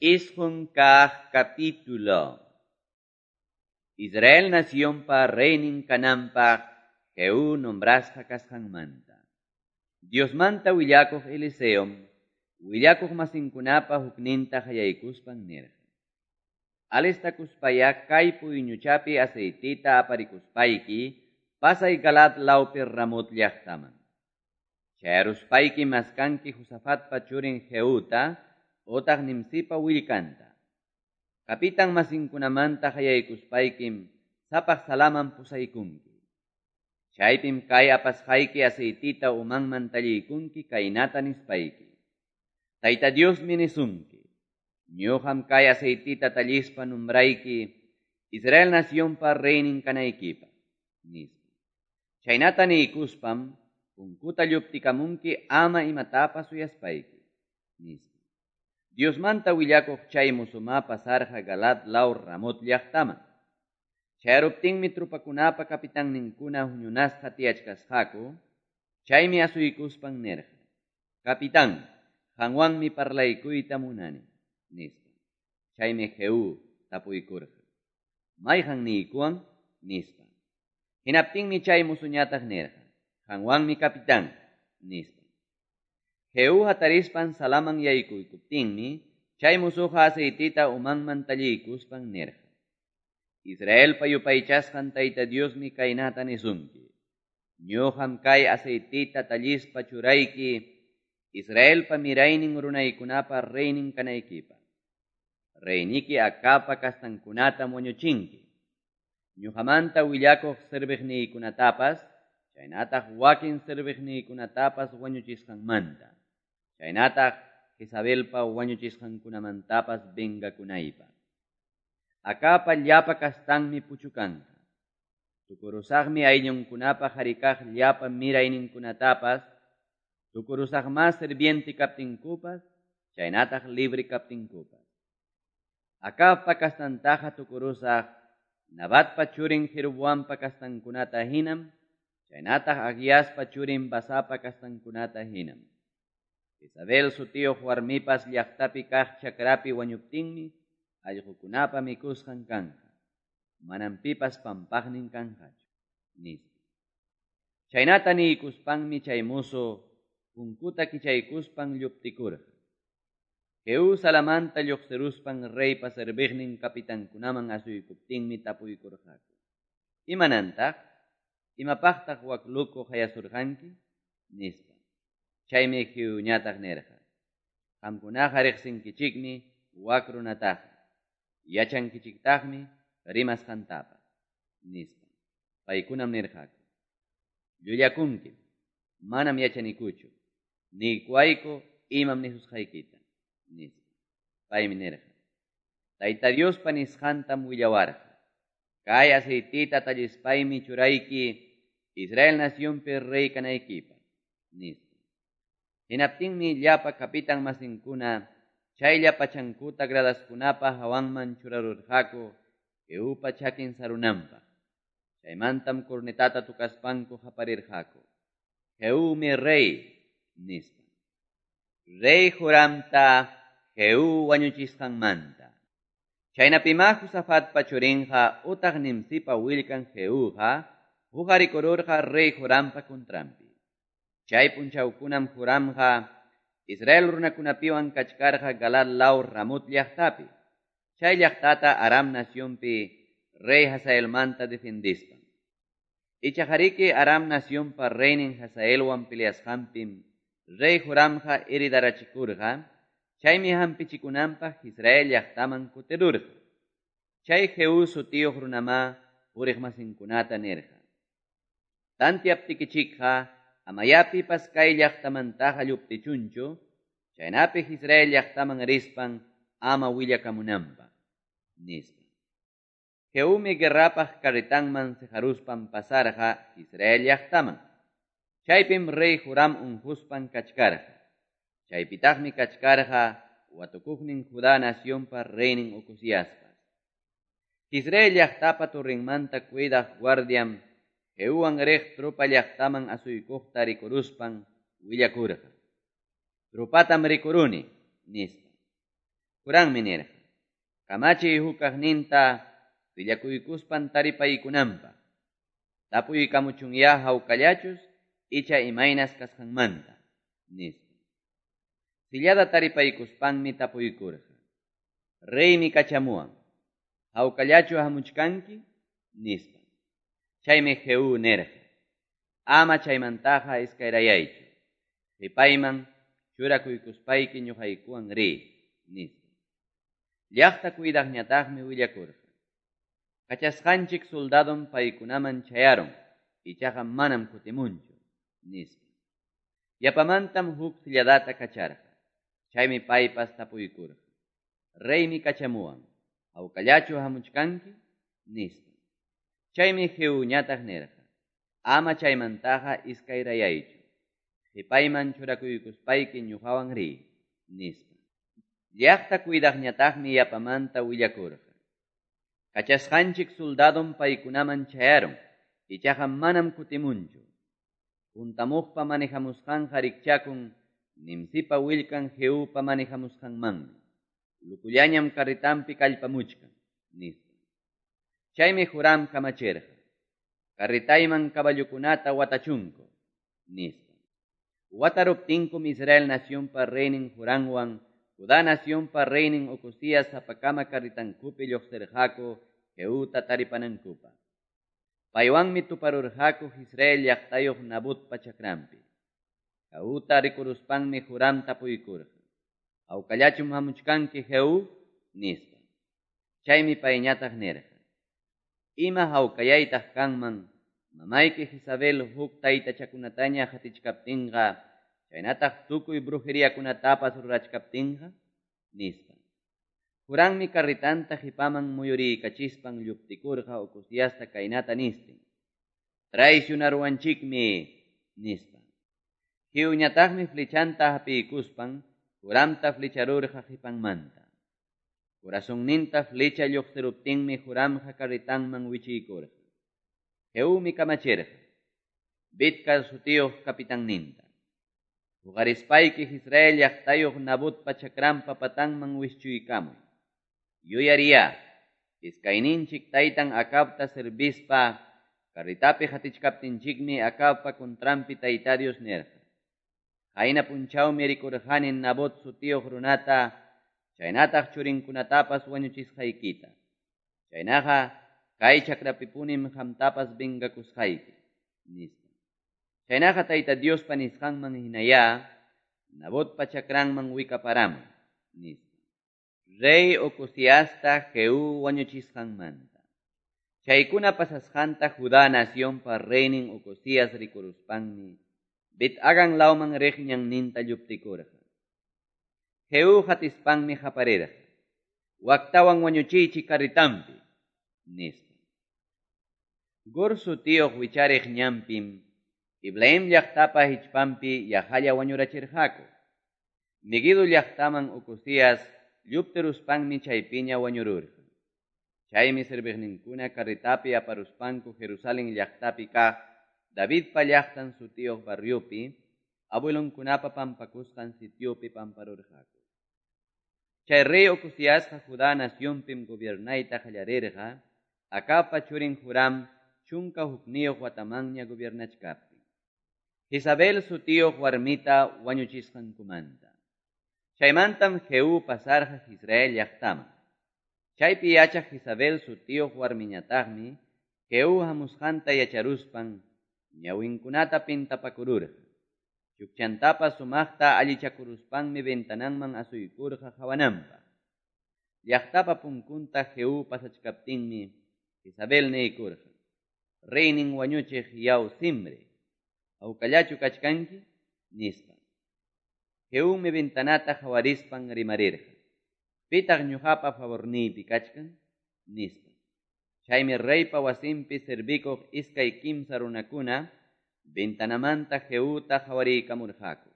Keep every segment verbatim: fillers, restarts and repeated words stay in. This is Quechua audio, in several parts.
Isqun kaq capítulo. Israel nacionpa reynin kananpaq Jehú nombrasqa kasqanmanta. Diosmanta willakuq Eliseom willakuq masinkunapa hukninta qayaykuspan nirqa: Alistakuspaya kay puyñuchapi aceitita aparikuspayki pasay Galaad lawpi Ramot llaqtaman. Chayaruspayki maskanki Josafatpa churin Jehuta otaq Nimsipa willkanta. Kapitan masinkunamanta qayaykuspaykim sapaq salaman pusaykunki. Chaypim kay apasqayki aceitita umanman talliykunki kaynata nispayki: Tayta Diosmi nisunki, ñuqam kay aceitita tallispa nombrayki Israel nacionpa reynin kanaykipaq, nispa. Chaynata niykuspam punkuta lluptikamunki ama imatapas suyaspayki, nispa. Diosmanta willakuq chay musuma pasarqa Galaad law Ramot llaqtaman. Chayaruptinmi trupakunapa kapitanninkuna huñunasqa tiyachkasqaku, chaymi asuykuspan nirqa: Capitán, qanwanmi parlaykuyta munani, nispa. Chaymi Jehú tapuykurqa: Mayqan niykuwan, nispa. Hinaptinmi chay musuñataq nirqa: Qanwanmi capitán, nispa. Jehú hatarispan salaman yaykuykuptinmi, chay musuqa aceitita umanman talliykuspan nirqa: Israelpa yupaychasqan Tayta Diosmi kaynata nisunki: Ñuqam kay aceitita tallispa churayki Israelpa miraynin runaykunapa reynin kanaykipaq. Reyniki Acabpa kastankunatam wañuchinki. Ñuqamanta willakuq serviqniykunatapas, chaynataq wakin serviqniykunatapas wañuchisqanmanta, chaynataq Jezabelpa wañuchisqankunamantapas vengakunaypaq. Acabpa llapa kastanmi puchukanqa. Tukurusaqmi ayllunkunapa harikaq llapa mirayninkunatapas, tukurusaqma sirviente kaptinkupas, chaynataq libre kaptinkupas. Acabpa kastantaqa tukurusaq Nabatpa churin Jeroboampa kastankunata hinam, chaynataq Ahiaspa churin Basapa kastankunata hinam. Jezabel sutiyuq warmipas llaqtapi kaq chakrapi wañuptinmi allqukunapa mikusqan kanqa. Manam pipas pampaqnin kanqachu, nispa. Chaynata niykuspanmi chay musu punkuta kichaykuspan lluptikurqa. Jehú salamanta lluqsiruspan reypa serviqnin kapitankunaman asuykuptinmi tapuykurqaku: Imanantaq? Imapaqtaq wak luku qayasurqanki? Nispa. Chaymi Jehuñataq nirqa: Qamkunaqa riqsinkichikmi wak runataqa, yachankichiktaqmi rimasqantapas, nispa. Paykunam nirqaku: Llullakunkim, manam yachanikuchu, niykuwayku imam nisusqaykita, nispa. Paymi nirqa: Tayta Diospa nisqantam willawarqa. Kay aceitita tallispaymi churayki Israel nacionpi rey kanaykipaq, nispa. Hinaptinmi llapa kapitan masinkuna chaylla pachankuta gradaskunapa hawanman churarurqaku Jehupa chakin sarunanpaq. Chaymantam cornetata tukaspanku qaparirqaku: Jehúmi rey, nispa. Rey Joramta Jehú wañuchisqanmanta. Chaynapima Josafatpa churinqa utaq Nimsipa willkan Jehúqa huqarikururqa rey Jorampa contranpi. Chay punchawkunam Joramqa Israel runakunapiwan kachkarqa Galaad law Ramot llaqtapi. Chay llaqtata Aram nacionpi rey Hazaelmanta defendispan. Ichajariki Aram nacionpa reynin Hazaelwan peleasqanpim rey Joramqa heridarachikurqa, chaymi hampichikunanpaq Israel llaqtaman kutirurqa. Chay Jehú sutiyuq runama puriqmasinkunata nirqa: Tantiaptikichikqa amayapipas kay llaqtamantaqa lluptichunchu, chaynapi Israel llaqtaman rispan ama willakamunanpaq, nispa. Jehúmi guerrapaq carretanman siqaruspan pasarqa Israel llaqtaman. Chaypim rey Joram unquspan kachkarqa. Chaypitaqmi kachkarqa watukuqnin Judá nacionpa reynin Ocozíaspas. Israel llaqtapa torrinmanta cuidaq guardiam Jehuwan riq trupa llaqtaman asuykuqta rikuruspan willakurqa: Trupatam rikuruni, nispa. Jorammi nirqa: Kamachiy hukkaqninta sillakuykuspan taripaykunanpaq. Tapuykamuchunyá hawkallachus icha imaynas kasqanmanta, nispa. Sillada taripaykuspanmi tapuykurqa: Reymi kachamuwan, hawkallachu hamuchkanki? Nispa. Chaymi Jehú nirqa: Ama chaymantaqa iskayrayaychu. Qipayman churakuykuspayki ñuqaykuwan riy, nispa. Llaqta cuidaqñataqmi willakurqa: Kachasqanchik soldadom paykunaman chayarun, ichaqa manam kutimunchu, nispa. Yapamantam huk silladata kacharqa. Chaymi paypas tapuykurqa: Reymi kachamuwan, hawkallachu hamuchkanki? Nispa. Chaymi Jehuñataq nirqa: Ama chaymantaqa iskayrayaychu. Qipayman churakuykuspayki ñuqawan riy, nispa. Llaqta cuidaqñataqmi yapamanta willakurqa: Kachasqanchik soldadom paykunaman chayarun, ichaqa manam kutimunchu. Puntamuqpa manejamusqanqa rikchakun Nimsipa willkan Jehupa manejamusqanmanmi. Lukullañam carretampi kallpamuchkan, nispa. Chaymi Joram kamachirqa: Carretayman caballokunata watachunku, nispa. Wataruptinkum Israel nacionpa reynin Joramwan Judá nacionpa reynin Ocozías sapakama carretankupi lluqsirqaku Jehuta taripanankupaq. Paywanmi tuparurqaku Israel llaqtayuq Nabotpa chakranpi. Jehuta rikuruspanmi Joram tapuykurqa: Hawkallachum hamuchkanki Jehú? Nispa. Chaymi payñataq nirqa: Ima hawkayaytaq kanman mamayki Jezabel huk taytachakunataña qatichkaptinqa, chaynataq tukuy brujeriakunatapas rurachkaptinqa, nispa. Jorammi carretanta qipaman muyuriykachispan lluptikurqa Ocoziasta kaynata nistin: Traicionaruwanchikmi, nispa. Jehuñataqmi flechanta hapiykuspan Joramta flecharurqa qipanmanta. Corazonninta flecha lluqsiruptinmi Joramqa carretanman wichiykurqa. Jehumi kamachirqa Bidkar sutiyuq capitanninta: Huqarispayki Israel llaqtayuq Nabotpa chakranpa patanman wischuykamuy. Yuyariyá, iskayninchik taytan Acabta servispa carretapi qatichkaptinchikmi Acabpa contranpi Tayta Dios nirqa: Qayna punchawmi rikurqani Nabot sutiyuq runata chaynataq churinkunatapas wañuchisqaykita. Chaynaqa kay chakrapipunim qamtapas vengakusqayki, nispa. Chaynaqa Tayta Diospa nisqanman hinayá Nabotpa chakranman wikaparamuy, nispa. Rey Ocoziasta Jehú wañuchisqanmanta. Chaykuna pasasqanta Judá nacionpa reynin Ocozías rikuruspanmi Bet-Hagan lawman riq ñanninta lluptikurqa. Jehú qatispanmi qaparirqa: Waktawan wañuchiychik carretampi, nispa. Gur sutiyuq wichariq ñanpim Ibleam llaqtapa hichpanpi yaqalla wañurachirqaku. Meguido llaqtaman Ocozías lluptiruspanmi chaypiña wañururqa. Chaymi serviqninkuna carretapi aparuspanku Jerusalén llaqtapi kaq Davidpa llaqtan sutiyuq barriopi abuelonkunapa pampakusqan sitiopi pamparurqaku. Chay rey Ocoziasqa Judá nacionpim gobiernayta qallarirqa, Acabpa churin Joram chunka hukniyuq watamanña gobiernachkaptin. Jezabel sutiyuq warmita wañuchisqankumanta. Chaymantam Jehú pasarqa Israel llaqtaman. Chaypi yachaq Jezabel sutiyuq warmiñataqmi Jehú hamusqanta yacharuspan ñawinkunata pintapakururqa. Chukchantapas sumaqta allichakuruspanmi ventananman asuykurqa qawananpaq. Llaqtapa punkunta Jehú pasachkaptinmi Jezabel niykurqa: Reynin wañuchiq yaw Zimri, hawkallachu kachkanki? Nispa. Jehúmi ventanata qawarispan rimarirqa: Pitaq ñuqapa favorniypi kachkan? Nispa. Chaymi reypa wasinpi servikuq iskay kimsa runakuna ventanamanta Jehuta qawariykamurqaku.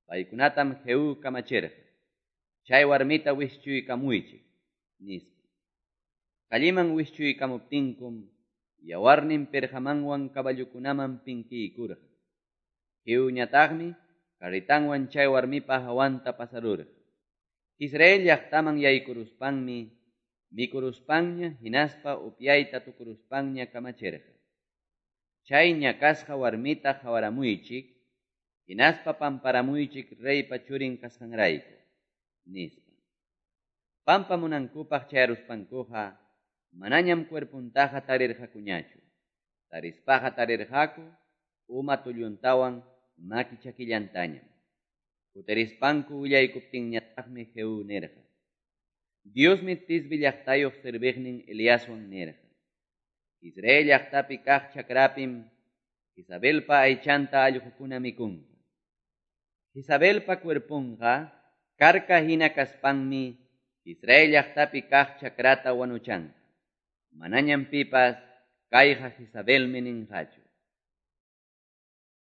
Paykunatam Jehú kamachirqa: Chay warmita wischuykamuychik, nispa. Calliman wischuykamuptinkum yawarnin pirqamanwan caballokunaman pinkiykurqa. Jehuñataqmi carretanwan chay warmipa hawanta pasarurqa. Jezreel llaqtaman yaykuruspanmi mikuruspanña hinaspa upyayta tukuruspanña kamachirqa: Chay ñakasqa warmita qawaramuychik hinaspa pamparamuychik reypa churin kasqanrayku, nispa. Pampamunankupaq chayaruspankuqa manañam cuerpontaqa tarirqakuñachu. Tarispaqa tarirqaku uma tulluntawan maki chakillantañam. Kutirispanku willaykuptinñataqmi Jehú nirqa: Diosmi Tisbe llaqtayuq serviqnin Eliaswan nirqa: Jezreel llaqtapi kaq chakrapim Jezabelpa aychanta allqukuna mikunqa. Jezabelpa cuerponqa karka hina kaspanmi Jezreel llaqtapi kaq chakrata wanuchanqa. Manañam pipas kayqa Jezabelmi ninqachu.